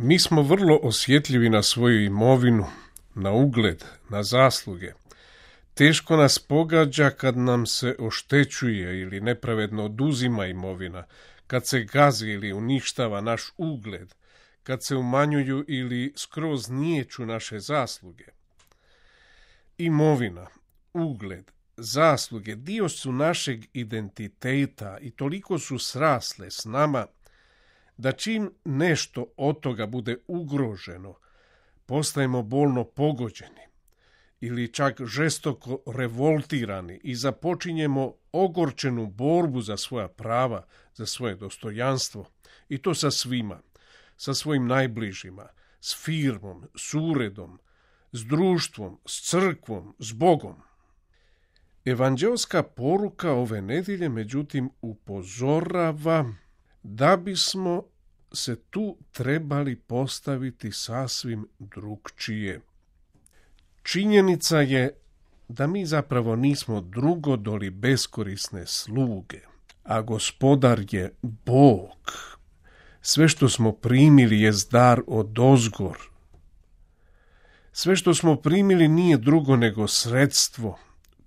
Mi smo vrlo osjetljivi na svoju imovinu, na ugled, na zasluge. Teško nas pogađa kad nam se oštećuje ili nepravedno oduzima imovina, kad se gazi ili uništava naš ugled, kad se umanjuju ili skroz niječu naše zasluge. Imovina, ugled, zasluge dio su našeg identiteta i toliko su srasle s nama da čim nešto od toga bude ugroženo, postajemo bolno pogođeni ili čak žestoko revoltirani i započinjemo ogorčenu borbu za svoja prava, za svoje dostojanstvo, i to sa svima, sa svojim najbližima, s firmom, s uredom, s društvom, s crkvom, s Bogom. Evanđelska poruka ove nedjelje, međutim, upozorava da bismo se tu trebali postaviti sasvim drukčije. Činjenica je da mi zapravo nismo drugo doli beskorisne sluge, a Gospodar je Bog. Sve što smo primili je dar odozgor. Sve što smo primili nije drugo nego sredstvo,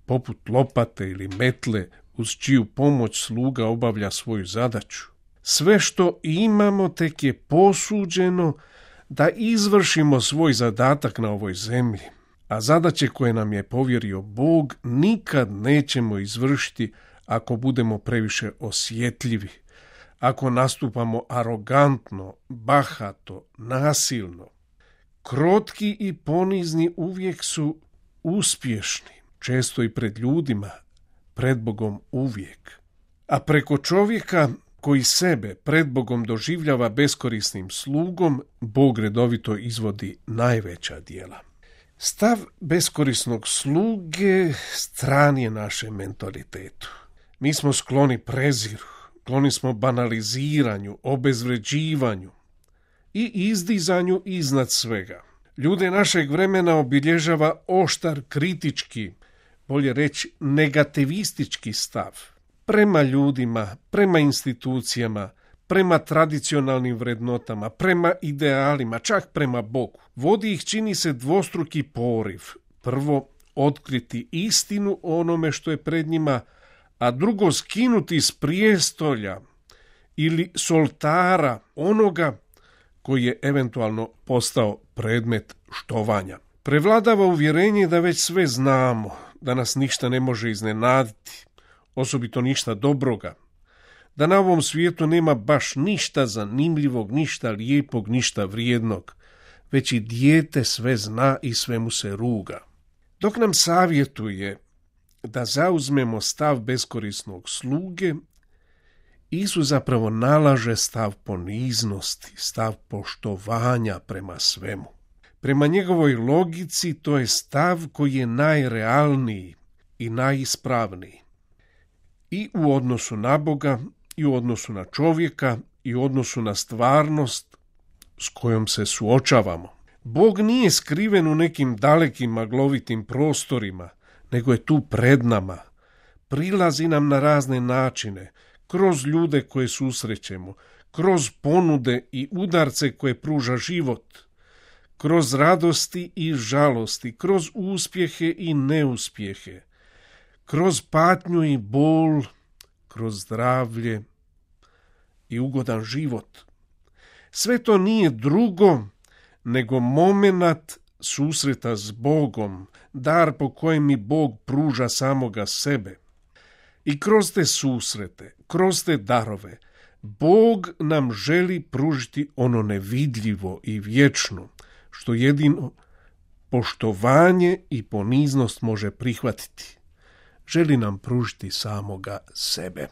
poput lopate ili metle, uz čiju pomoć sluga obavlja svoju zadaću. Sve što imamo tek je posuđeno da izvršimo svoj zadatak na ovoj zemlji, a zadaće koje nam je povjerio Bog nikad nećemo izvršiti ako budemo previše osjetljivi, ako nastupamo arogantno, bahato, nasilno. Krotki i ponizni uvijek su uspješni, često i pred ljudima, pred Bogom uvijek. A preko čovjeka koji sebe pred Bogom doživljava beskorisnim slugom, Bog redovito izvodi najveća djela. Stav beskorisnog sluge stran je našem mentalitetu. Mi smo skloni preziru, skloni smo banaliziranju, obezvređivanju i izdizanju iznad svega. Ljude našeg vremena obilježava oštar kritički, bolje reći negativistički stav prema ljudima, prema institucijama, prema tradicionalnim vrednotama, prema idealima, čak prema Bogu. Vodi ih, čini se, dvostruki poriv. Prvo, otkriti istinu o onome što je pred njima, a drugo, skinuti s prijestolja ili s oltara onoga koji je eventualno postao predmet štovanja. Prevladava uvjerenje da već sve znamo, da nas ništa ne može iznenaditi, osobito ništa dobroga, da na ovom svijetu nema baš ništa zanimljivog, ništa lijepog, ništa vrijednog, već i dijete sve zna i sve mu se ruga. Dok nam savjetuje da zauzmemo stav beskorisnog sluge, Isus zapravo nalaže stav poniznosti, stav poštovanja prema svemu. Prema njegovoj logici to je stav koji je najrealniji i najispravniji. I u odnosu na Boga, i u odnosu na čovjeka, i u odnosu na stvarnost s kojom se suočavamo. Bog nije skriven u nekim dalekim maglovitim prostorima, nego je tu pred nama. Prilazi nam na razne načine, kroz ljude koje susrećemo, kroz ponude i udarce koje pruža život, kroz radosti i žalosti, kroz uspjehe i neuspjehe, kroz patnju i bol, kroz zdravlje i ugodan život. Sve to nije drugo nego momenat susreta s Bogom, dar po kojem mi Bog pruža samoga sebe. I kroz te susrete, kroz te darove, Bog nam želi pružiti ono nevidljivo i vječno, što jedino poštovanje i poniznost može prihvatiti. Želi nam pružiti samoga sebe.